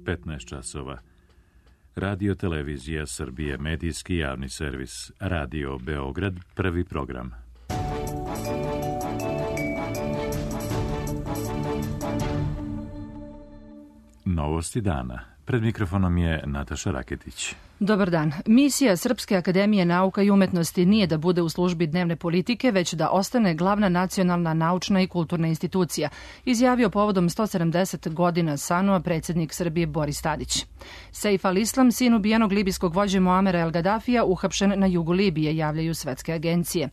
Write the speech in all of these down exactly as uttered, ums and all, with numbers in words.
petnaest časova. Radio Televizija Srbije, medijski javni servis, Radio Beograd, prvi program. Novosti dana. Pred mikrofonom je Nataša Raketić. Dobar dan. Misija Srpske akademije nauka i umetnosti nije da bude u službi dnevne politike, već da ostane glavna nacionalna naučna i kulturna institucija, izjavio povodom sto sedamdeset godina Sanua predsjednik Srbije Boris Tadić. Seif al-Islam, sin ubijenog libijskog vođe Muamera el-Gadafija, uhapšen na jugu Libije, javljaju svetske agencije.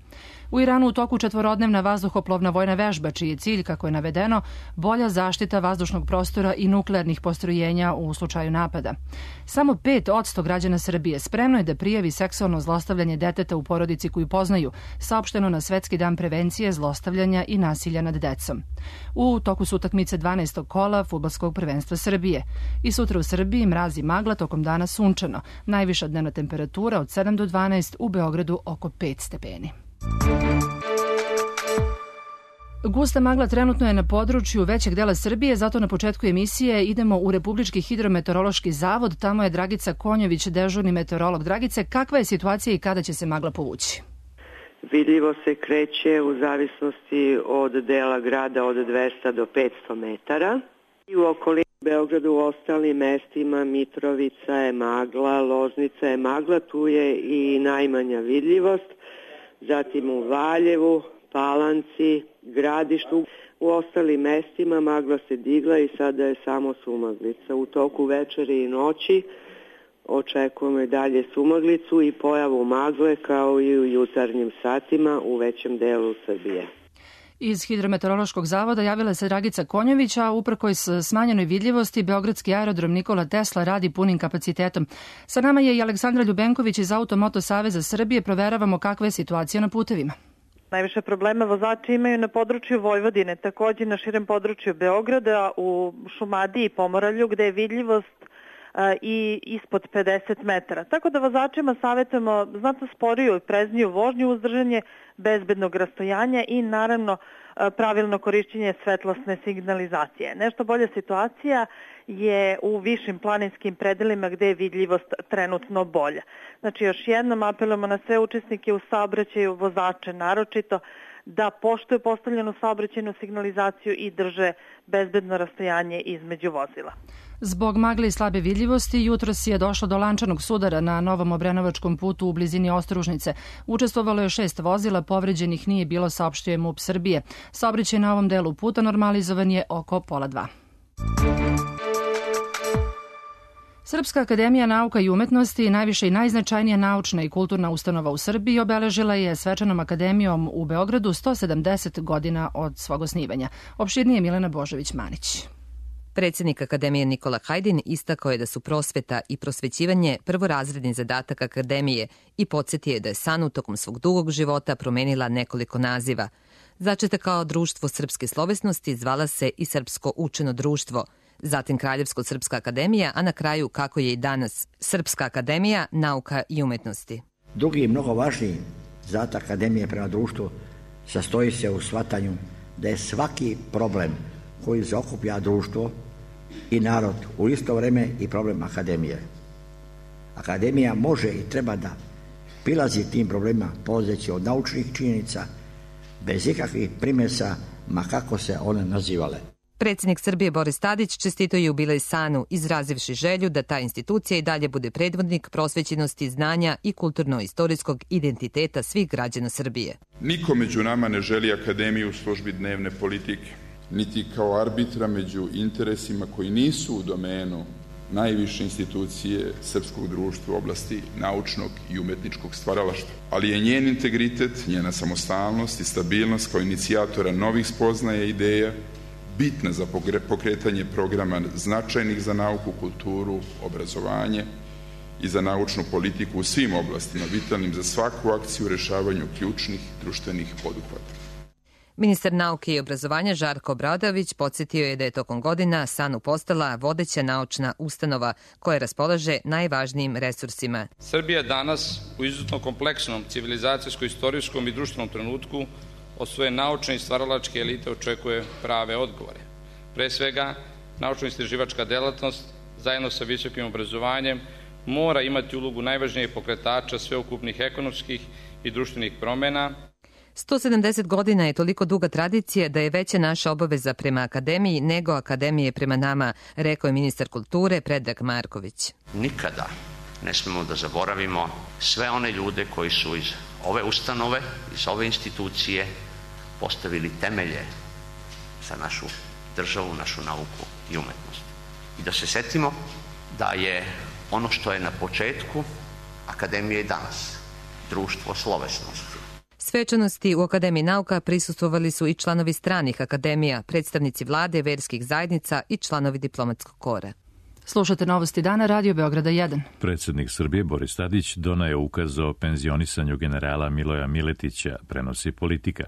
U Iranu u toku četvorodnevna vazduhoplovna vojna vežba, čiji je cilj, kako je navedeno, bolja zaštita vazdušnog prostora i nuklearnih postrojenja u slučaju napada. Samo pet odsto građana Srbije spremno je da prijavi seksualno zlostavljanje deteta u porodici koju poznaju, saopšteno na Svetski dan prevencije zlostavljanja i nasilja nad decom. U toku su utakmice dvanaestog kola fudbalskog prvenstva Srbije. I sutra u Srbiji mraz i magla, tokom dana sunčano. Najviša dnevna temperatura od sedam do dvanaest, u Beogradu oko pet stepeni. Gusta magla trenutno je na području većeg dela Srbije, zato na početku emisije idemo u Republički hidrometeorološki zavod. Tamo je Dragica Konjović, dežurni meteorolog. Dragice, kakva je situacija i kada će se magla povući? Vidljivo se kreće u zavisnosti od dela grada od dvesta do petsto metara. I u okolini Beogradu, u ostalim mestima, Mitrovica je magla, Loznica je magla, tu je i najmanja vidljivost. Zatim u Valjevu, Palanci, Gradištu. U ostalim mestima magla se digla i sada je samo sumaglica. U toku večeri i noći očekujemo i dalje sumaglicu i pojavu magle kao i u jutarnjim satima u većem delu Srbije. Iz Hidrometeorološkog zavoda javila se Dragica Konjović, a uprkos smanjenoj vidljivosti Beogradski aerodrom Nikola Tesla radi punim kapacitetom. Sa nama je i Aleksandra Ljubenković iz Automoto Saveza Srbije. Proveravamo kakva je situacija na putevima. Najviše problema vozači imaju na području Vojvodine, također na širem području Beograda, u Šumadiji i Pomoravlju, gde je vidljivost i ispod pedeset metara. Tako da vozačima savjetujemo znatno sporiju i prezniju vožnju, uzdržanje bezbednog rastojanja i naravno pravilno korišćenje svetlosne signalizacije. Nešto bolja situacija je u višim planinskim predelima gde je vidljivost trenutno bolja. Znači još jednom apelujemo na sve učesnike u saobraćaju, vozače naročito, da poštuju postavljenu saobraćajnu signalizaciju i drže bezbedno rastojanje između vozila. Zbog magle i slabe vidljivosti, jutros je došlo do lančanog sudara na Novom Obrenovačkom putu u blizini Ostružnice. Učestvovalo je šest vozila, povređenih nije bilo, saopštuje MUP Srbije. Saobraćaj na ovom delu puta normalizovan je oko pola dva. Srpska akademija nauka i umetnosti, najviša i najznačajnija naučna i kulturna ustanova u Srbiji, obeležila je svečanom akademijom u Beogradu sto sedamdeset godina od svog osnivanja. Opširnije Milena Božović-Manić. Predsjednik Akademije Nikola Hajdin istakao je da su prosveta i prosvećivanje prvorazredni zadatak Akademije i podsjetio je da je Sanu tokom svog dugog života promenila nekoliko naziva. Začeta kao Društvo srpske slovesnosti, zvala se i Srpsko učeno društvo, zatim Kraljevsko-srpska akademija, a na kraju, kako je i danas, Srpska akademija nauka i umetnosti. Drugi i mnogo važniji zadatak Akademije prema društvu sastoji se u shvatanju da je svaki problem koji zaokuplja društvo i narod u isto vrijeme i problem Akademije. Akademija može i treba da prilazi tim problemima polazeći od naučnih činjenica, bez ikakvih primjesa, ma kako se one nazivale. Predsjednik Srbije Boris Tadić čestitao je jubilej Sanu, izrazivši želju da ta institucija i dalje bude predvodnik prosvećenosti, znanja i kulturno-istorijskog identiteta svih građana Srbije. Niko među nama ne želi Akademiju u službi dnevne politike, niti kao arbitra među interesima koji nisu u domenu najviše institucije srpskog društva u oblasti naučnog i umetničkog stvaralaštva. Ali je njen integritet, njena samostalnost i stabilnost kao inicijatora novih spoznaja i ideja bitna za pokretanje programa značajnih za nauku, kulturu, obrazovanje i za naučnu politiku u svim oblastima, vitalnim za svaku akciju u rešavanju ključnih društvenih poduhvata. Ministar nauke i obrazovanja Žarko Obradović podsjetio je da je tokom godina Sanu postala vodeća naučna ustanova koja raspolaže najvažnijim resursima. Srbija danas u izuzetno kompleksnom civilizacijsko-istorijskom i društvenom trenutku od svoje naučne i stvaralačke elite očekuje prave odgovore. Pre svega, naučno-istraživačka delatnost zajedno sa visokim obrazovanjem, mora imati ulogu najvažnijeg pokretača sveukupnih ekonomskih i društvenih promena. sto sedamdeset godina je toliko duga tradicija da je veća naša obaveza prema akademiji nego akademije prema nama, rekao je ministar kulture Predrag Marković. Nikada ne smemo da zaboravimo sve one ljude koji su iz ove ustanove, iz ove institucije postavili temelje za našu državu, našu nauku i umetnost. I da se setimo da je ono što je na početku akademije i danas, društvo slovesnosti. Svečanosti u Akademiji nauka prisustvovali su i članovi stranih akademija, predstavnici vlade, verskih zajednica i članovi diplomatskog kora. Slušate Novosti dana, Radio Beograda jedan. Predsjednik Srbije Boris Tadić donao je ukaz o penzionisanju generala Miloja Miletića, prenosi Politika.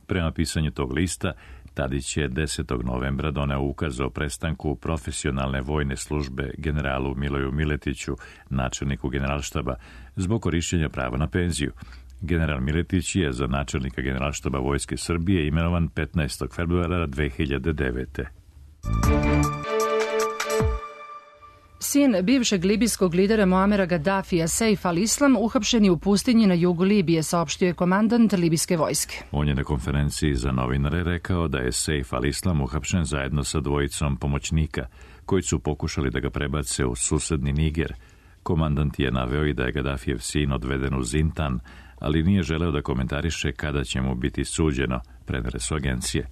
Prema pisanju tog lista, Tadić je desetog novembra doneo ukaz o prestanku profesionalne vojne službe generalu Miloju Miletiću, načelniku generalštaba, zbog korišćenja prava na penziju. General Miletić je za načelnika generalštaba Vojske Srbije imenovan petnaestog februara dve hiljade devete. Sin bivšeg libijskog lidera Muamera Gaddafija, Seif al-Islam, uhapšen je u pustinji na jugu Libije, saopštio je komandant libijske vojske. On je na konferenciji za novinare rekao da je Seif al-Islam uhapšen zajedno sa dvojicom pomoćnika, koji su pokušali da ga prebace u susedni Niger. Komandant je naveo i da je Gaddafijev sin odveden u Zintan, ali nije želeo da komentariše kada će mu biti suđeno, prenele su agencije.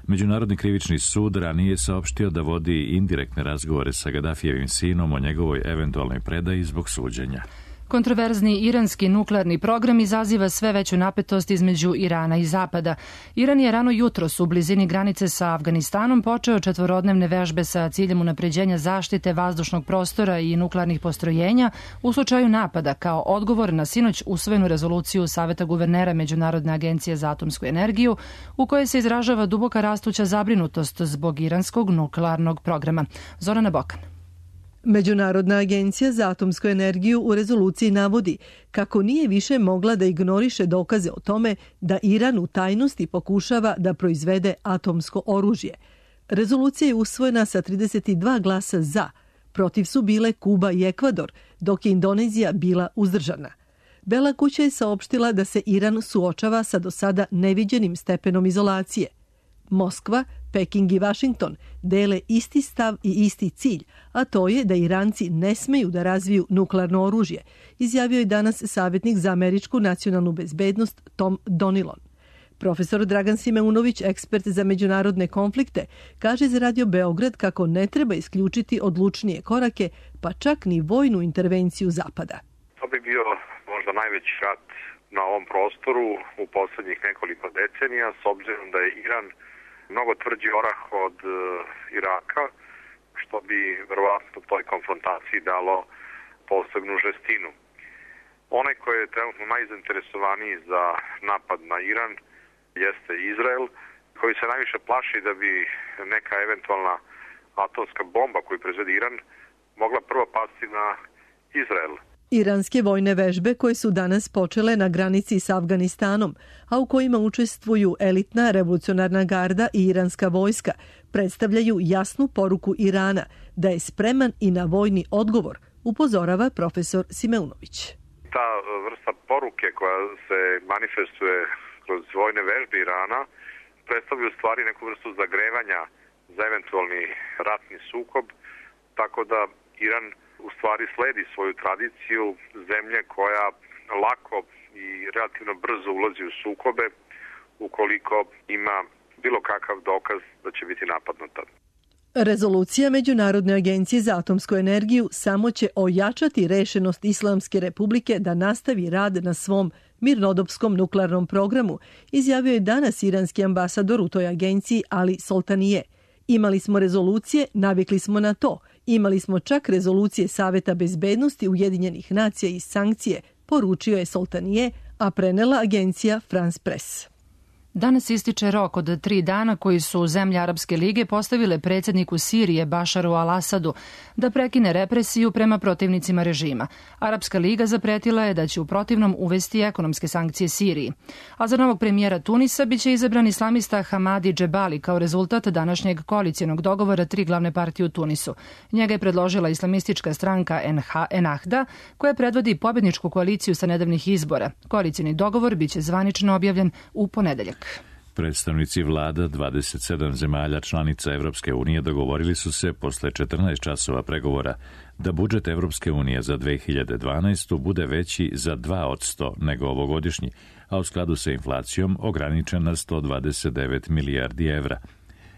Međunarodni krivični sud ranije saopštio da vodi indirektne razgovore sa Gaddafijevim sinom o njegovoj eventualnoj predaji zbog suđenja. Kontroverzni iranski nuklearni program izaziva sve veću napetost između Irana i Zapada. Iran je rano jutros u blizini granice sa Afganistanom počeo četvorodnevne vežbe sa ciljem unapređenja zaštite vazdušnog prostora i nuklearnih postrojenja u slučaju napada kao odgovor na sinoć usvojenu rezoluciju Saveta guvernera Međunarodne agencije za atomsku energiju u kojoj se izražava duboka rastuća zabrinutost zbog iranskog nuklearnog programa. Zorana Bokan. Međunarodna agencija za atomsku energiju u rezoluciji navodi kako nije više mogla da ignoriše dokaze o tome da Iran u tajnosti pokušava da proizvede atomsko oružje. Rezolucija je usvojena sa trideset dva glasa za, protiv su bile Kuba i Ekvador, dok je Indonezija bila uzdržana. Bela kuća je saopštila da se Iran suočava sa do sada neviđenim stepenom izolacije. Moskva, Peking i Vašington dele isti stav i isti cilj, a to je da Iranci ne smeju da razviju nuklearno oružje, izjavio je danas savjetnik za američku nacionalnu bezbednost Tom Donilon. Profesor Dragan Simeunović, ekspert za međunarodne konflikte, kaže za Radio Beograd kako ne treba isključiti odlučnije korake, pa čak ni vojnu intervenciju Zapada. To bi bio možda najveći rat na ovom prostoru u poslednjih nekoliko decenija, s obzirom da je Iran mnogo tvrđi orah od uh, Iraka, što bi verovatno toj konfrontaciji dalo posebnu žestinu. Onaj koji je trenutno najzainteresovaniji za napad na Iran jeste Izrael, koji se najviše plaši da bi neka eventualna atomska bomba koju proizvede Iran mogla prvo pasti na Izrael. Iranske vojne vežbe koje su danas počele na granici s Afganistanom, a u kojima učestvuju elitna revolucionarna garda i iranska vojska, predstavljaju jasnu poruku Irana da je spreman i na vojni odgovor, upozorava profesor Simeunović. Ta vrsta poruke koja se manifestuje kroz vojne vežbe Irana predstavlja u stvari neku vrstu zagrevanja za eventualni ratni sukob, tako da Iran u stvari sledi svoju tradiciju zemlje koja lako i relativno brzo ulazi u sukobe ukoliko ima bilo kakav dokaz da će biti napadnuta. Rezolucija Međunarodne agencije za atomsku energiju samo će ojačati rešenost Islamske republike da nastavi rad na svom mirnodopskom nuklearnom programu, izjavio je danas iranski ambasador u toj agenciji Ali Soltanije. Imali smo rezolucije, navikli smo na to. Imali smo čak rezolucije Saveta bezbednosti Ujedinjenih nacija i sankcije, poručio je Soltanije, a prenela agencija France Press. Danas ističe rok od tri dana koji su zemlje Arapske lige postavile predsjedniku Sirije Bašaru al-Asadu da prekine represiju prema protivnicima režima. Arapska liga zapretila je da će u protivnom uvesti ekonomske sankcije Siriji. A za novog premijera Tunisa biće izabran islamista Hamadi Džebali kao rezultat današnjeg koalicijonog dogovora tri glavne partije u Tunisu. Njega je predložila islamistička stranka Ennahda, koja predvodi pobjedničku koaliciju sa nedavnih izbora. Koalicijni dogovor biće zvanično objavljen u ponedeljak. Predstavnici vlada dvadeset sedam zemalja članica Evropske unije dogovorili su se posle četrnaest časova pregovora da budžet Evropske unije za dve hiljade dvanaestu. bude veći za dva posto nego ovogodišnji, a u skladu sa inflacijom ograničen na sto dvadeset devet milijardi evra.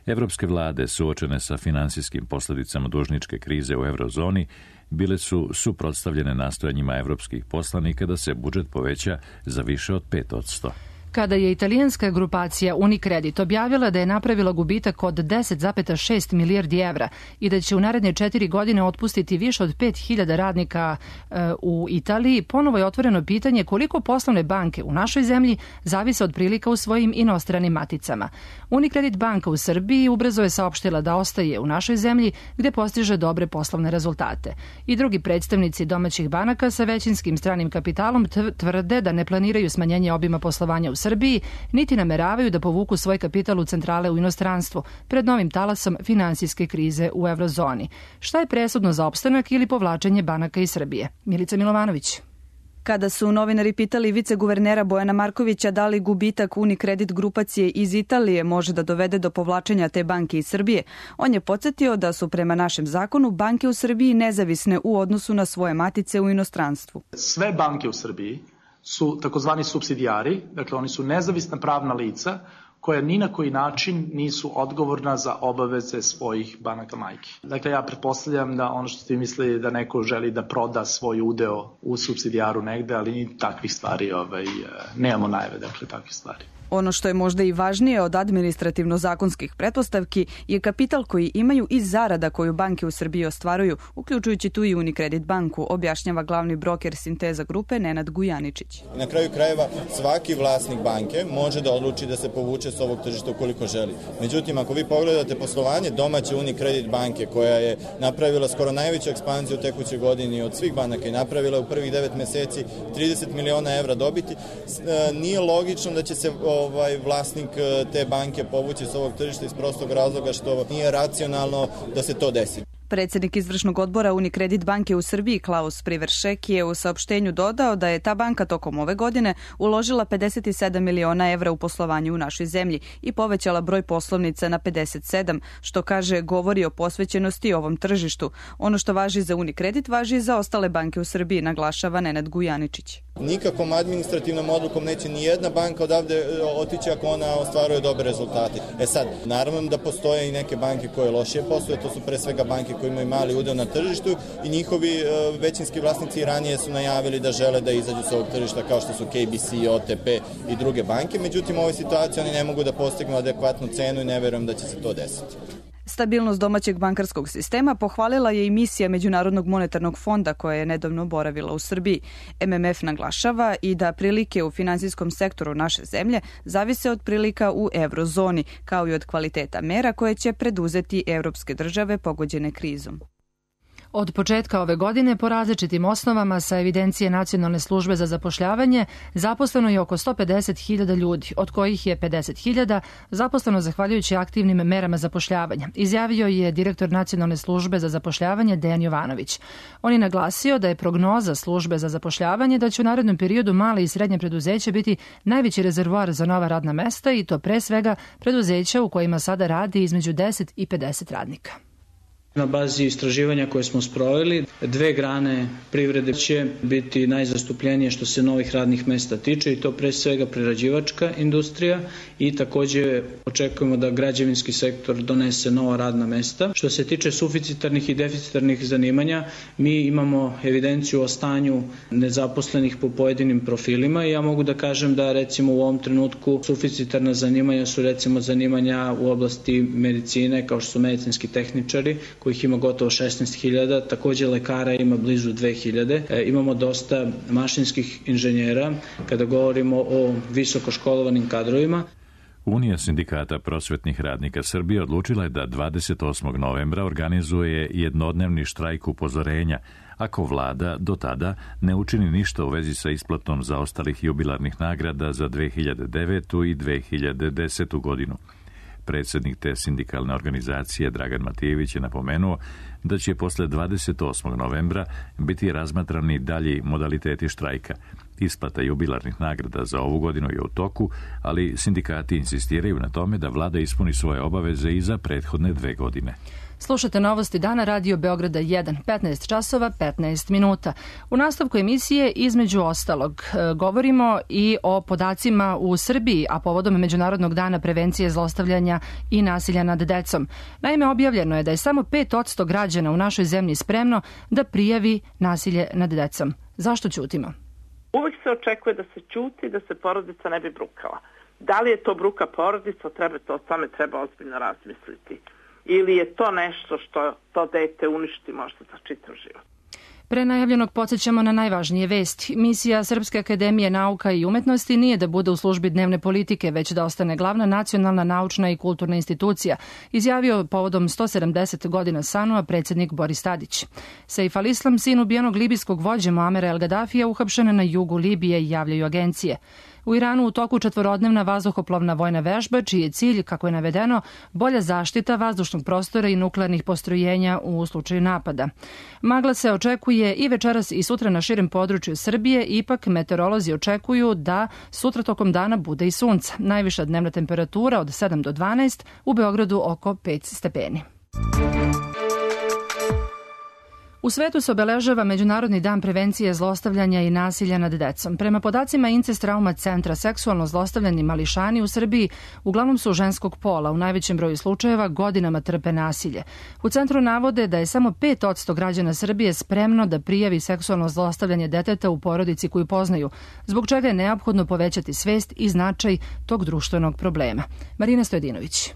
Evropske vlade, suočene sa finansijskim posljedicama dužničke krize u eurozoni, bile su suprotstavljene nastojanjima evropskih poslanika da se budžet poveća za više od pet posto. Kada je italijanska grupacija Unicredit objavila da je napravila gubitak od deset zarez šest milijardi evra i da će u naredne četiri godine otpustiti više od pet hiljada radnika e, u Italiji, ponovo je otvoreno pitanje koliko poslovne banke u našoj zemlji zavise od prilika u svojim inostranim maticama. Unicredit banka u Srbiji ubrzo je saopštila da ostaje u našoj zemlji gde postiže dobre poslovne rezultate. I drugi predstavnici domaćih banaka sa većinskim stranim kapitalom tvrde da ne planiraju smanjenje obima poslovanja u Srbiji, niti nameravaju da povuku svoj kapital u centrale u inostranstvu pred novim talasom finansijske krize u eurozoni. Šta je presudno za opstanak ili povlačenje banaka iz Srbije? Milica Milovanović. Kada su novinari pitali viceguvernera Bojana Markovića da li gubitak Unicredit grupacije iz Italije može da dovede do povlačenja te banke iz Srbije, on je podsjetio da su prema našem zakonu banke u Srbiji nezavisne u odnosu na svoje matice u inostranstvu. Sve banke u Srbiji su takozvani supsidijari, dakle oni su nezavisna pravna lica koja ni na koji način nisu odgovorna za obaveze svojih banaka majki. Dakle, ja pretpostavljam da ono što ste mislili da neko želi da proda svoj udeo u supsidijaru negde, ali ni takvih stvari, ovaj, nemamo najave, dakle, takvih stvari. Ono što je možda i važnije od administrativno-zakonskih pretpostavki je kapital koji imaju iz zarada koju banke u Srbiji ostvaruju, uključujući tu i Unicredit banku, objašnjava glavni broker Sinteza grupe Nenad Gujaničić. Na kraju krajeva svaki vlasnik banke može da odluči da se povuče s ovog tržišta ukoliko želi. Međutim, ako vi pogledate poslovanje domaće Unicredit banke koja je napravila skoro najveću ekspanziju u tekućoj godini od svih banaka i napravila u prvih devet meseci trideset miliona evra dobiti, nije logično da će se ovaj vlasnik te banke povući s ovog tržišta iz prostog razloga što nije racionalno da se to desi. Predsjednik izvršnog odbora Unicredit banke u Srbiji Klaus Priveršek je u saopštenju dodao da je ta banka tokom ove godine uložila pedeset sedam miliona evra u poslovanje u našoj zemlji i povećala broj poslovnica na pedeset sedam, što kaže govori o posvećenosti ovom tržištu. Ono što važi za Unicredit važi i za ostale banke u Srbiji, naglašava Nenad Gujaničić. Nikakvom administrativnom odlukom neće ni jedna banka odavde otići ako ona ostvaruje dobre rezultate. E sad, naravno da postoje i neke banke koje lošije posluju, to su pre svega banke koji imaju mali udeo na tržištu i njihovi većinski vlasnici ranije su najavili da žele da izađu sa ovog tržišta kao što su K B C, O T P i druge banke. Međutim, u ovoj situaciji oni ne mogu da postignu adekvatnu cenu i ne verujem da će se to desiti. Stabilnost domaćeg bankarskog sistema pohvalila je i misija Međunarodnog monetarnog fonda koja je nedavno boravila u Srbiji. M M F naglašava i da prilike u finansijskom sektoru naše zemlje zavise od prilika u eurozoni, kao i od kvaliteta mera koje će preduzeti evropske države pogođene krizom. Od početka ove godine po različitim osnovama sa evidencije Nacionalne službe za zapošljavanje zaposleno je oko sto pedeset hiljada ljudi, od kojih je pedeset hiljada zaposleno zahvaljujući aktivnim merama zapošljavanja, izjavio je direktor Nacionalne službe za zapošljavanje Dejan Jovanović. On je naglasio da je prognoza službe za zapošljavanje da će u narednom periodu male i srednje preduzeće biti najveći rezervoar za nova radna mesta i to pre svega preduzeća u kojima sada radi između deset i pedeset radnika. Na bazi istraživanja koje smo sproveli, dve grane privrede će biti najzastupljenije što se novih radnih mesta tiče i to pre svega prerađivačka industrija i takođe očekujemo da građevinski sektor donese nova radna mesta. Što se tiče suficitarnih i deficitarnih zanimanja, mi imamo evidenciju o stanju nezaposlenih po pojedinim profilima i ja mogu da kažem da recimo u ovom trenutku suficitarna zanimanja su recimo zanimanja u oblasti medicine kao što su medicinski tehničari, kojih ima gotovo šesnaest hiljada, takođe lekara ima blizu dve hiljade. E, imamo dosta mašinskih inženjera kada govorimo o visokoškolovanim kadrovima. Unija sindikata prosvetnih radnika Srbije odlučila je da dvadeset osmog novembra organizuje jednodnevni štrajk upozorenja ako vlada do tada ne učini ništa u vezi sa isplatom zaostalih jubilarnih nagrada za dve hiljade devetu i dve hiljade desetu godinu. Predsjednik te sindikalne organizacije Dragan Matijević je napomenuo da će posle dvadeset osmog novembra biti razmatrani dalji modaliteti štrajka. Isplata jubilarnih nagrada za ovu godinu je u toku, ali sindikati insistiraju na tome da vlada ispuni svoje obaveze i za prethodne dve godine. Slušate novosti dana Radio Beograda jedan, petnaest časova, petnaest minuta. U nastavku emisije, između ostalog, govorimo i o podacima u Srbiji, a povodom Međunarodnog dana prevencije zlostavljanja i nasilja nad decom. Naime, objavljeno je da je samo pet posto građana u našoj zemlji spremno da prijavi nasilje nad decom. Zašto ćutimo? Uvijek se očekuje da se ćuti, da se porodica ne bi brukala. Da li je to bruka porodica, treba to, o tome treba ozbiljno razmisliti. Ili je to nešto što to dete uništi možda za čitav život. Pre najavljenog podsjećamo na najvažnije vesti. Misija Srpske akademije nauka i umetnosti nije da bude u službi dnevne politike, već da ostane glavna nacionalna naučna i kulturna institucija, izjavio povodom sto sedamdeset godina Sanua predsjednik Boris Tadić. Seif al-Islam, sin ubijenog libijskog vođe Muamera el Gadafija, uhapšen na jugu Libije, javljaju agencije. U Iranu u toku četvorodnevna vazduhoplovna vojna vežba, čiji je cilj, kako je navedeno, bolja zaštita vazdušnog prostora i nuklearnih postrojenja u slučaju napada. Magla se očekuje i večeras i sutra na širem području Srbije, ipak meteorolozi očekuju da sutra tokom dana bude i sunca. Najviša dnevna temperatura od sedam do dvanaest, u Beogradu oko pet stepeni. U svetu se obeležava Međunarodni dan prevencije zlostavljanja i nasilja nad decom. Prema podacima Incest Trauma centra, seksualno zlostavljani mališani u Srbiji uglavnom su ženskog pola, u najvećem broju slučajeva godinama trpe nasilje. U centru navode da je samo pet posto građana Srbije spremno da prijavi seksualno zlostavljanje deteta u porodici koju poznaju, zbog čega je neophodno povećati svest i značaj tog društvenog problema. Marina Stojedinović.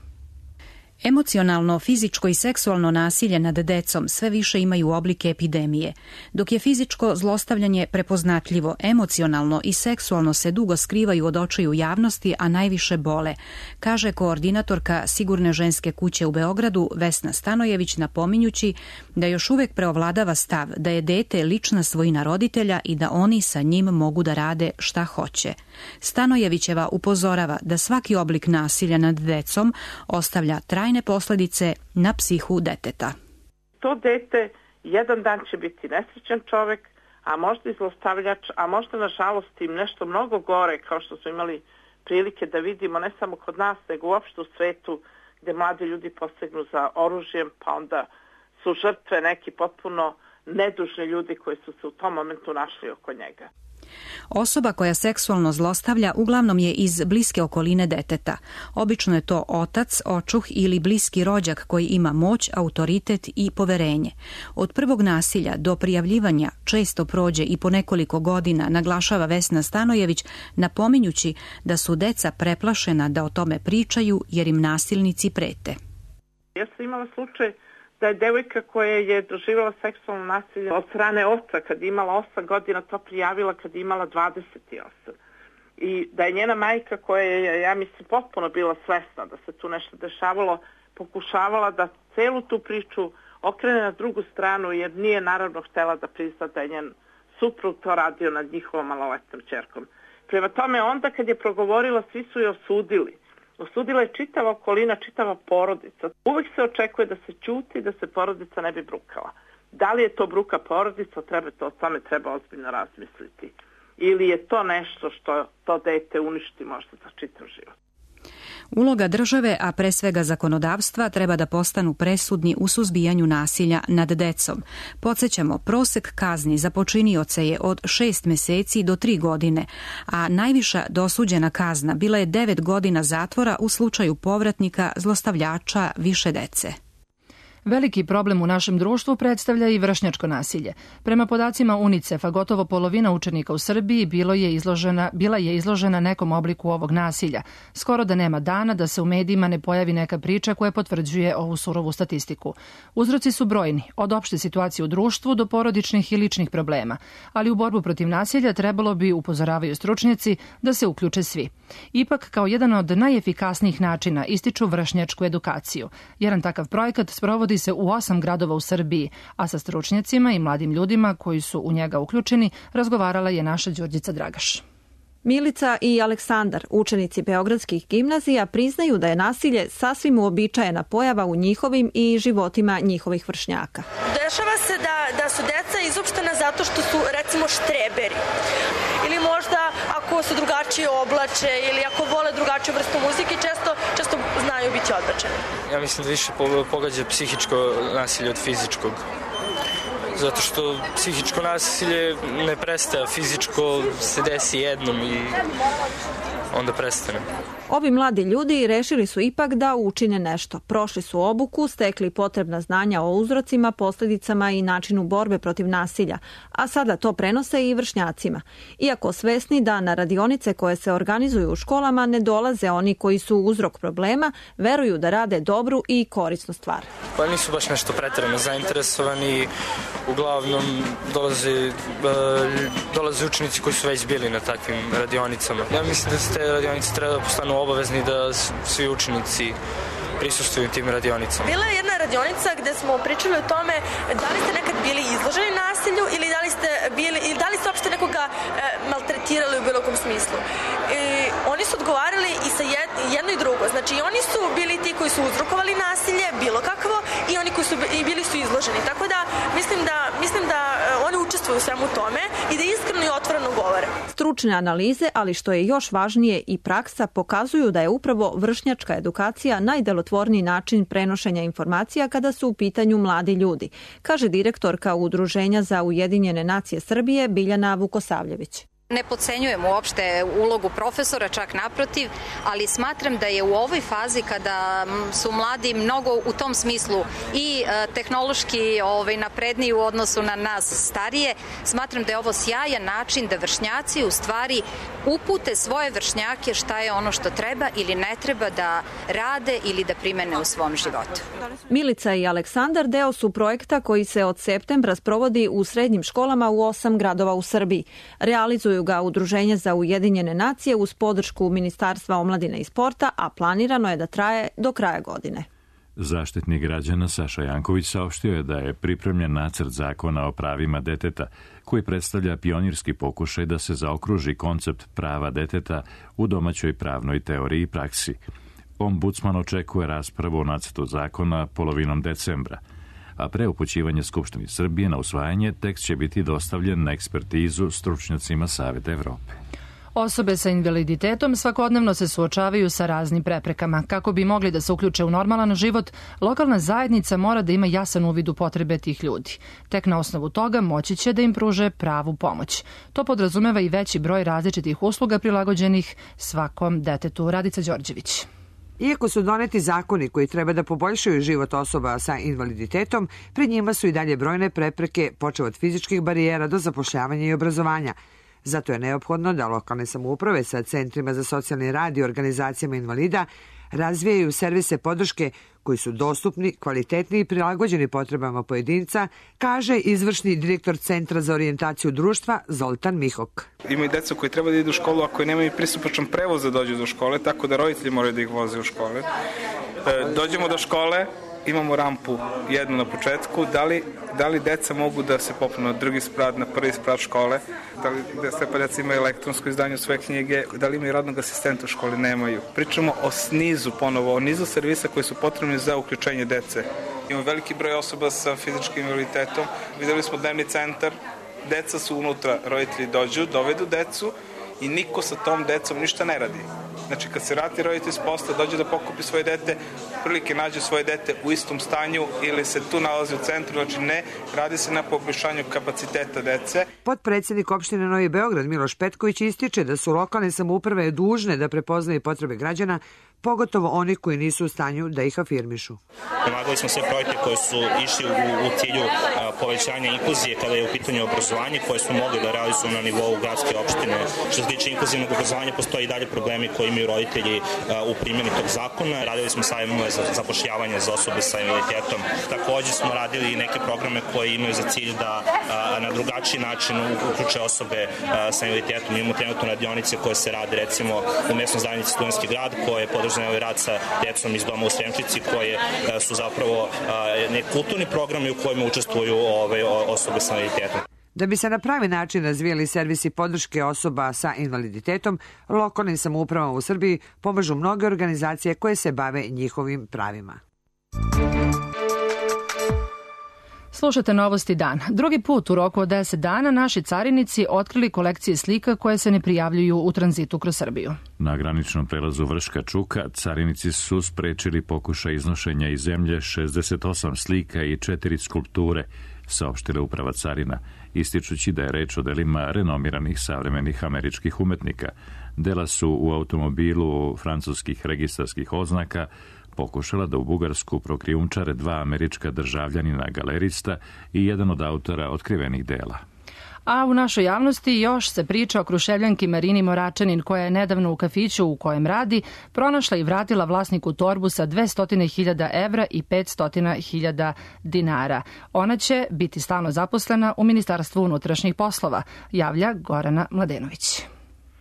Emocionalno, fizičko i seksualno nasilje nad decom sve više imaju oblike epidemije. Dok je fizičko zlostavljanje prepoznatljivo, emocionalno i seksualno se dugo skrivaju od očiju javnosti, a najviše bole, kaže koordinatorka Sigurne ženske kuće u Beogradu Vesna Stanojević, napominjući da još uvek preovladava stav da je dete lična svojina roditelja i da oni sa njim mogu da rade šta hoće. Stanojevićeva upozorava da svaki oblik nasilja nad decom ostavlja trajne posledice na psihu deteta. To dete jedan dan će biti nesrećan čovek, a možda i zlostavljač, a možda nažalost im nešto mnogo gore, kao što smo imali prilike da vidimo ne samo kod nas, nego uopšte u svetu, gde mladi ljudi posegnu za oružjem, pa onda su žrtve neki potpuno nedužni ljudi koji su se u tom momentu našli oko njega. Osoba koja seksualno zlostavlja uglavnom je iz bliske okoline deteta. Obično je to otac, očuh ili bliski rođak koji ima moć, autoritet i poverenje. Od prvog nasilja do prijavljivanja često prođe i po nekoliko godina, naglašava Vesna Stanojević, napominjući da su deca preplašena da o tome pričaju jer im nasilnici prete. Ja sam imala slučaj da je devojka koja je doživjela seksualno nasilje od strane oca kad je imala osam godina to prijavila kad je imala dvadeset osam. I da je njena majka koja je, ja mislim, potpuno bila svesna da se tu nešto dešavalo, pokušavala da celu tu priču okrene na drugu stranu jer nije naravno htjela da prizna da je njen suprug to radio nad njihovom maloletnom ćerkom. Prema tome onda kad je progovorila svi su je osudili. Osudila je čitava okolina, čitava porodica. Uvijek se očekuje da se ćuti, da se porodica ne bi brukala. Da li je to bruka porodica, treba to, o tome treba ozbiljno razmisliti. Ili je to nešto što to dete uništi možda za čitav život. Uloga države, a pre svega zakonodavstva, treba da postanu presudni u suzbijanju nasilja nad decom. Podsjećamo, prosek kazni za počinioce je od šest meseci do tri godine, a najviša dosuđena kazna bila je devet godina zatvora u slučaju povratnika zlostavljača više dece. Veliki problem u našem društvu predstavlja i vršnjačko nasilje. Prema podacima UNICEF-a, gotovo polovina učenika u Srbiji bilo je izložena, bila je izložena nekom obliku ovog nasilja. Skoro da nema dana da se u medijima ne pojavi neka priča koja potvrđuje ovu surovu statistiku. Uzroci su brojni, od opšte situacije u društvu do porodičnih i ličnih problema, ali u borbu protiv nasilja trebalo bi, upozoravaju stručnjaci, da se uključe svi. Ipak, kao jedan od najefikasnijih načina ističu vršnjačku edukaciju. Jedan takav projekat sprovodi se u osam gradova u Srbiji, a sa stručnjacima i mladim ljudima koji su u njega uključeni razgovarala je naša Đurđica Dragaš. Milica i Aleksandar, učenici beogradskih gimnazija, priznaju da je nasilje sasvim uobičajena pojava u njihovim i životima njihovih vršnjaka. Dešava se da, da su deca izopštena zato što su, recimo, štreberi. Ili možda ako se drugačije oblače ili ako vole drugačiju vrstu muzike, često, često znaju biti odbačeni. Ja mislim da više pogađa psihičko nasilje od fizičkog. Zato što psihičko nasilje ne prestaje, fizičko se desi jednom i onda prestane. Ovi mladi ljudi rešili su ipak da učine nešto. Prošli su obuku, stekli potrebna znanja o uzrocima, posljedicama i načinu borbe protiv nasilja, a sada to prenose i vršnjacima. Iako svesni da na radionice koje se organizuju u školama ne dolaze oni koji su uzrok problema, veruju da rade dobru i korisnu stvar. Pa nisu baš nešto pretjerano zainteresovani, uglavnom dolaze, dolaze učenici koji su već bili na takvim radionicama. Ja mislim da se te radionice treba da postanu obavezni da svi učenici prisustuju tim radionicama. Bila je jedna radionica gde smo pričali o tome da li ste nekad bili izloženi nasilju ili da li ste bili ili da li ste uopšte nekoga e, maltretirali u bilo kom smislu. I oni su odgovarali i sa jed, jedno i drugo. Znači i oni su bili ti koji su uzrokovali nasilje, bilo kakvo, i oni koji su i bili su izloženi. Tako da mislim da mislim da oni učestvuju u svemu tome i da iskreno i otvoreno govore. Stručne analize, ali što je još važnije i praksa, pokazuju da je upravo vršnjačka edukacija najdelotvorniji način prenošenja informacija kada su u pitanju mladi ljudi, kaže direktorka Udruženja za Ujedinjene nacije Srbije Biljana Vukosavljević. Ne podcenjujem uopšte ulogu profesora, čak naprotiv, ali smatram da je u ovoj fazi kada su mladi mnogo u tom smislu i tehnološki ovaj, napredniji u odnosu na nas starije, smatram da je ovo sjajan način da vršnjaci u stvari upute svoje vršnjake šta je ono što treba ili ne treba da rade ili da primene u svom životu. Milica i Aleksandar deo su projekta koji se od septembra sprovodi u srednjim školama u osam gradova u Srbiji. Realizuju ga Udruženje za Ujedinjene nacije uz podršku Ministarstva omladine i sporta, a planirano je da traje do kraja godine. Zaštitnik građana Saša Janković saopštio je da je pripremljen nacrt zakona o pravima deteta, koji predstavlja pionirski pokušaj da se zaokruži koncept prava deteta u domaćoj pravnoj teoriji i praksi. Ombudsman očekuje raspravu o nacrtu zakona polovinom decembra, a pre upućivanja Skupštini Srbije na usvajanje tekst će biti dostavljen na ekspertizu stručnjacima Saveta Evrope. Osobe sa invaliditetom svakodnevno se suočavaju sa raznim preprekama. Kako bi mogli da se uključe u normalan život, lokalna zajednica mora da ima jasan uvid u potrebe tih ljudi. Tek na osnovu toga moći će da im pruže pravu pomoć. To podrazumeva i veći broj različitih usluga prilagođenih svakom detetu. Radica Đorđević. Iako su doneti zakoni koji treba da poboljšaju život osoba sa invaliditetom, pred njima su i dalje brojne prepreke, počev od fizičkih barijera do zapošljavanja i obrazovanja. Zato je neophodno da lokalne samouprave sa centrima za socijalni rad i organizacijama invalida razvijaju servise podrške koji su dostupni, kvalitetni i prilagođeni potrebama pojedinca, kaže izvršni direktor Centra za orijentaciju društva Zoltan Mihok. Ima i deca koji treba da idu u školu, a koji nemaju pristupačan prevoz da dođu do škole, tako da roditelji moraju da ih voze u škole. Dođemo do škole, imamo rampu jednu na početku, da li, da li deca mogu da se popnu na drugi sprat, na prvi sprat škole, da li sve deca imaju elektronsko izdanje svoje knjige, da li imaju radnog asistenta u školi, nemaju. Pričamo o nizu ponovo, o nizu servisa koji su potrebni za uključenje dece. Imamo veliki broj osoba sa fizičkim invaliditetom, videli smo dnevni centar, deca su unutra, roditelji dođu, dovedu decu i niko sa tom decom ništa ne radi. Znači, kad se vrati roditelj s posla, dođe da pokupi svoje dete, prilike nađe svoje dete u istom stanju ili se tu nalazi u centru, znači ne, radi se na poboljšanju kapaciteta dece. Potpredsednik opštine Novi Beograd Miloš Petković ističe da su lokalne samouprave dužne da prepoznaju potrebe građana, pogotovo oni koji nisu u stanju da ih afirmišu. Pomagali smo sve projekte koji su išli u, u cilju a, povećanja inkluzije kada je u pitanju obrazovanje, koje smo mogli da realizuju na nivou gradske opštine. Što se tiče inkluzivnog obrazovanja, postoji i dalje problemi koji imaju roditelji a, u primjeni tog zakona. Radili smo sajmove za zapošljavanje za osobe sa invaliditetom. Takođe smo radili i neke programe koji imaju za cilj da a, na drugačiji način uključe osobe a, sa invaliditetom. Imamo trenutno radionice koje se rade recimo u mesnoj zajednici Studentski grad, koje podržavaju ovaj rad sa djecom iz doma u Sremčici, koje su zapravo neki kulturni programi u kojima učestvuju ove osobe sa invaliditetom. Da bi se na pravi način razvijali servisi podrške osoba sa invaliditetom, lokalnim samoupravama u Srbiji pomažu mnoge organizacije koje se bave njihovim pravima. Slušate Novosti dan. Drugi put u roku od deset dana naši carinici otkrili kolekcije slika koje se ne prijavljuju u tranzitu kroz Srbiju. Na graničnom prelazu Vrška Čuka carinici su sprečili pokušaj iznošenja iz zemlje šezdeset osam slika i četiri skulpture, saopštila uprava carina, ističući da je reč o delima renomiranih savremenih američkih umetnika. Dela su u automobilu francuskih registarskih oznaka pokušala da u Bugarsku prokrijumčare dva američka državljanina galerista i jedan od autora otkrivenih dela. A u našoj javnosti još se priča o Kruševljanki Marini Moračanin, koja je nedavno u kafiću u kojem radi pronašla i vratila vlasniku torbu sa dvesta hiljada evra i petsto hiljada dinara. Ona će biti stalno zaposlena u Ministarstvu unutrašnjih poslova, javlja Gorana Mladenović.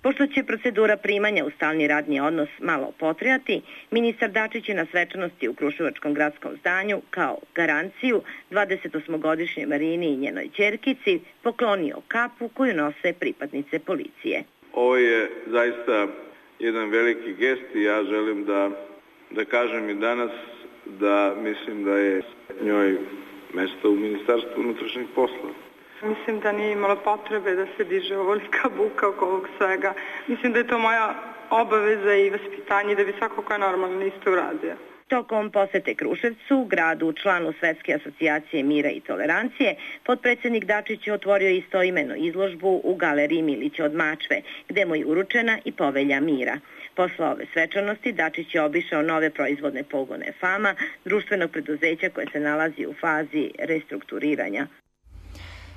Pošto će procedura primanja u stalni radni odnos malo potrajati, ministar Dačić je na svečanosti u Kruševačkom gradskom zdanju kao garanciju dvadesetosmogodišnjoj Marini i njenoj ćerkici poklonio kapu koju nose pripadnice policije. Ovo je zaista jedan veliki gest i ja želim da, da kažem i danas da mislim da je njoj mesto u Ministarstvu unutrašnjih poslova. Mislim da nije imalo potrebe da se diže ovolika buka oko ovog svega. Mislim da je to moja obaveza i vaspitanje da bi svako ko je normalno isto uradio. Tokom posete Kruševcu, gradu članu Svetske asocijacije mira i tolerancije, potpredsednik Dačić je otvorio istoimenu izložbu u galeriji Milića od Mačve, gde mu je uručena i povelja mira. Posle ove svečanosti Dačić je obišao nove proizvodne pogone Fama, društvenog preduzeća koje se nalazi u fazi restrukturiranja.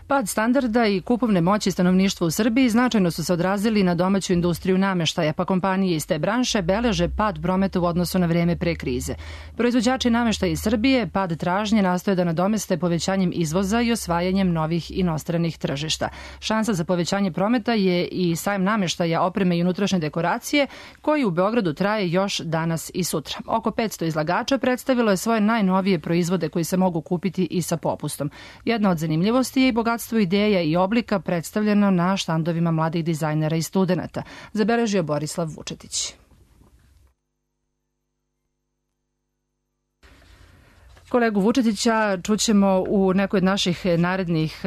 Pad standarda i kupovne moći stanovništva u Srbiji značajno su se odrazili na domaću industriju nameštaja, pa kompanije iz te branše beleže pad prometa u odnosu na vreme pre krize. Proizvođači nameštaja iz Srbije pad tražnje nastoje da nadomeste povećanjem izvoza i osvajanjem novih inostranih tržišta. Šansa za povećanje prometa je i sajam nameštaja, opreme i unutrašnje dekoracije, koji u Beogradu traje još danas i sutra. Oko petsto izlagača predstavilo je svoje najnovije proizvode koji se mogu kupiti i sa popustom. Jedna od zanimljivosti je i bogatstvo ideja i oblika predstavljeno na štandovima mladih dizajnera i studenata, zabeležio Borislav Vučetić. Kolegu Vučetića čućemo u nekoj od naših narednih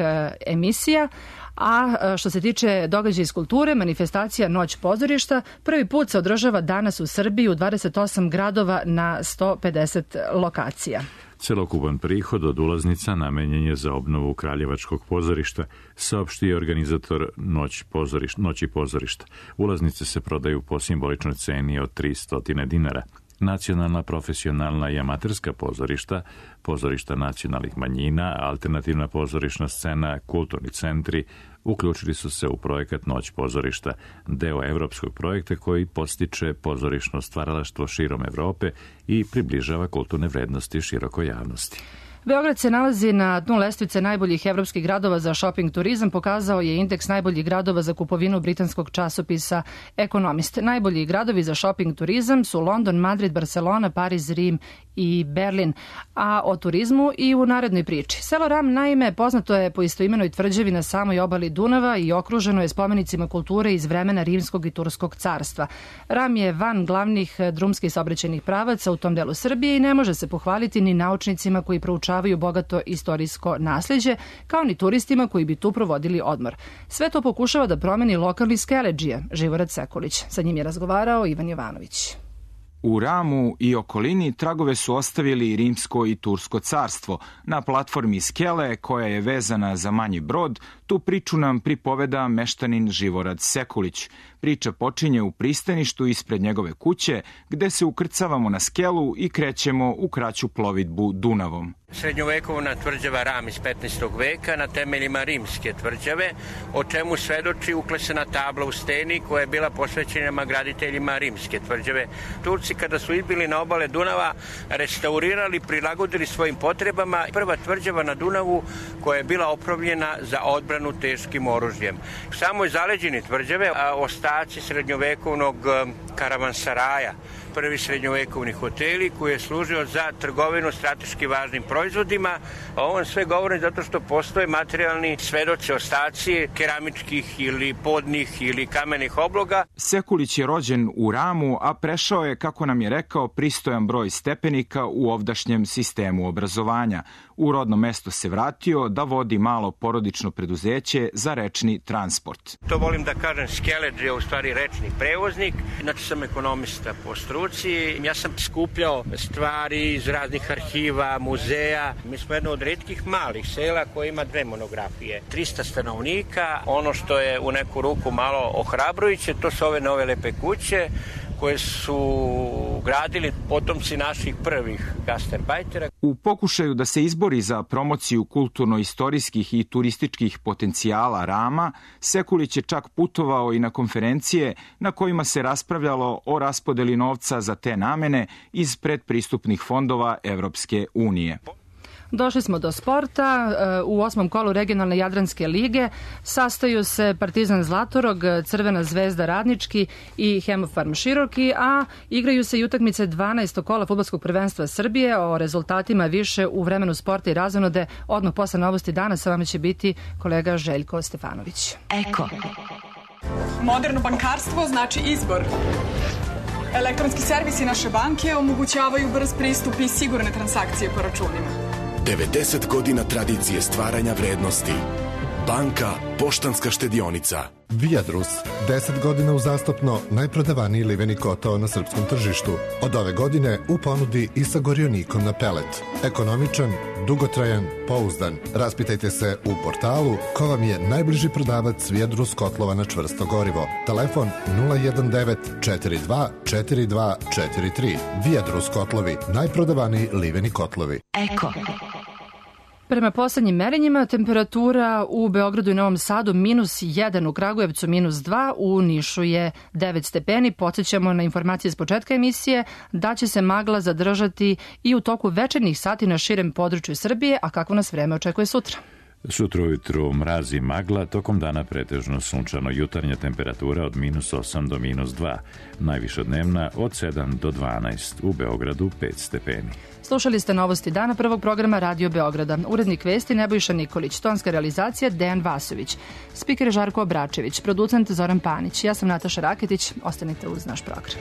emisija. A što se tiče događaja iz kulture, manifestacija Noć pozorišta prvi put se održava danas u Srbiji u dvadeset osam gradova na sto pedeset lokacija. Celokupan prihod od ulaznica namenjen je za obnovu Kraljevačkog pozorišta, saopštio organizator Noć pozorišta, Noći pozorišta. Ulaznice se prodaju po simboličnoj ceni od tristo dinara. Nacionalna, profesionalna i amaterska pozorišta, pozorišta nacionalnih manjina, alternativna pozorišna scena, kulturni centri uključili su se u projekat Noć pozorišta, deo evropskog projekta koji podstiče pozorišno stvaralaštvo širom Evrope i približava kulturne vrednosti širokoj javnosti. Beograd se nalazi na dnu lestvice najboljih evropskih gradova za shopping turizam, pokazao je indeks najboljih gradova za kupovinu britanskog časopisa Economist. Najbolji gradovi za shopping turizam su London, Madrid, Barcelona, Pariz, Rim i Berlin. A o turizmu i u narednoj priči. Selo Ram, naime, poznato je po istoimenoj tvrđavi na samoj obali Dunava i okruženo je spomenicima kulture iz vremena Rimskog i Turskog carstva. Ram je van glavnih drumskih saobraćajnih pravaca u tom delu Srbije i ne može se pohvaliti ni naučnicima koji proučavaju izučavaju bogato istorijsko nasleđe, kao ni turistima koji bi tu provodili odmor. Sve to pokušava da promeni lokalni skeleđija, Živorad Sekulić. Sa njim je razgovarao Ivan Jovanović. U Ramu i okolini tragove su ostavili Rimsko i Tursko carstvo. Na platformi skele, koja je vezana za manji brod, tu priču nam pripoveda meštanin Živorad Sekulić. Priča počinje u pristaništu ispred njegove kuće, gde se ukrcavamo na skelu i krećemo u kraću plovidbu Dunavom. Srednjovekovna tvrđava Ram iz petnaestog veka na temeljima rimske tvrđave, o čemu svedoči uklesana tabla u steni koja je bila posvećena graditeljima rimske tvrđave. Turci kada su izbili na obale Dunava, restaurirali, prilagodili svojim potrebama prva tvrđava na Dunavu koja je bila opremljena za odbranu teškim oružjem. U samoj zaleđini tvrđave ostaci srednjovekovnog karavansaraja, prvi srednjovekovni hoteli koji je služio za trgovinu strateški važnim proizvodima. A on sve govori zato što postoje materijalni svedoci, ostaci keramičkih ili podnih ili kamenih obloga. Sekulić je rođen u Ramu, a prešao je, kako nam je rekao, pristojan broj stepenika u ovdašnjem sistemu obrazovanja. U rodno mesto se vratio da vodi malo porodično preduzeće za rečni transport. To volim da kažem, skeleđ je u stvari rečni prevoznik. Znači sam ekonomista po struci. Ja sam skupljao stvari iz raznih arhiva, muzeja. Mi smo jedno od retkih malih sela koje ima dve monografije. trista stanovnika. Ono što je u neku ruku malo ohrabrujuće, to su ove nove lepe kuće koje su gradili potomci naših prvih gastarbajtera. U pokušaju da se izbori za promociju kulturno-istorijskih i turističkih potencijala Rama, Sekulić je čak putovao i na konferencije na kojima se raspravljalo o raspodeli novca za te namene iz predpristupnih fondova Evropske unije. Došli smo do sporta. U osmom kolu regionalne Jadranske lige sastaju se Partizan Zlatorog, Crvena zvezda Radnički i Hemofarm Široki, a igraju se i utakmice dvanaestog kola fudbalskog prvenstva Srbije. O rezultatima više u vremenu sporta i razonode odmah posle novosti dana sa vama će biti kolega Željko Stefanović. Eko. Moderno bankarstvo znači izbor. Elektronski servisi naše banke omogućavaju brz pristup i sigurne transakcije po računima. devedeset godina tradicije stvaranja vrednosti. Banka Poštanska štedionica. Viadrus, deset godina uzastopno najprodavaniji liveni kotao na srpskom tržištu. Od ove godine u ponudi i sa gorionikom na pelet. Ekonomičan, dugotrajan, pouzdan. Raspitajte se u portalu ko vam je najbliži prodavac Viadrus kotlova na čvrsto gorivo. Telefon nula jedan devet četiri dva četiri dva četiri tri. Viadrus kotlovi, najprodavaniji liveni kotlovi. Eko. Prema poslednjim merenjima, temperatura u Beogradu i Novom Sadu minus jedan, u Kragujevcu minus dva, u Nišu je devet stepeni. Podsjećamo na informacije s početka emisije da će se magla zadržati i u toku večernjih sati na širem području Srbije, a kako nas vreme očekuje sutra? Sutra ujutru mraz i magla, tokom dana pretežno sunčano, jutarnja temperatura od minus osam do minus dva, najviša dnevna od sedam do dvanaest, u Beogradu pet stepeni. Slušali ste novosti dana prvog programa Radio Beograda. Urednik vesti Nebojša Nikolić, tonska realizacija Dejan Vasović, spiker Žarko Obračević, producent Zoran Panić. Ja sam Nataša Raketić, ostanite uz naš program.